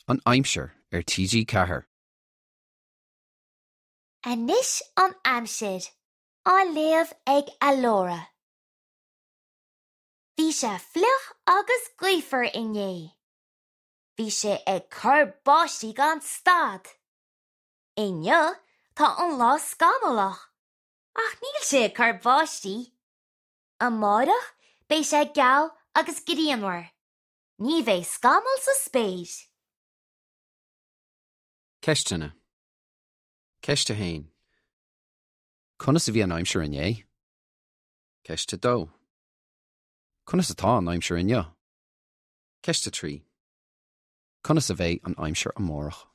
an Aimsir ar TG4. Anois an Aimsir, á léamh ag Alora. Bhí sé fliuch agus gaofar inné. Bhí sé ag cur báistí gan stad. Inniu tá an lá scamallach, ach níl sé ag cur báistí. Amárach beidh sé geal agus grianmhar. Ní bheidh scamall sa spéir. Ceisteanna. Ceist 1. Conas a bhí an aimsir inné? Ceist 2. Conas atá an aimsir inniu? Ceist 3. Conas a bheidh an aimsir amárach?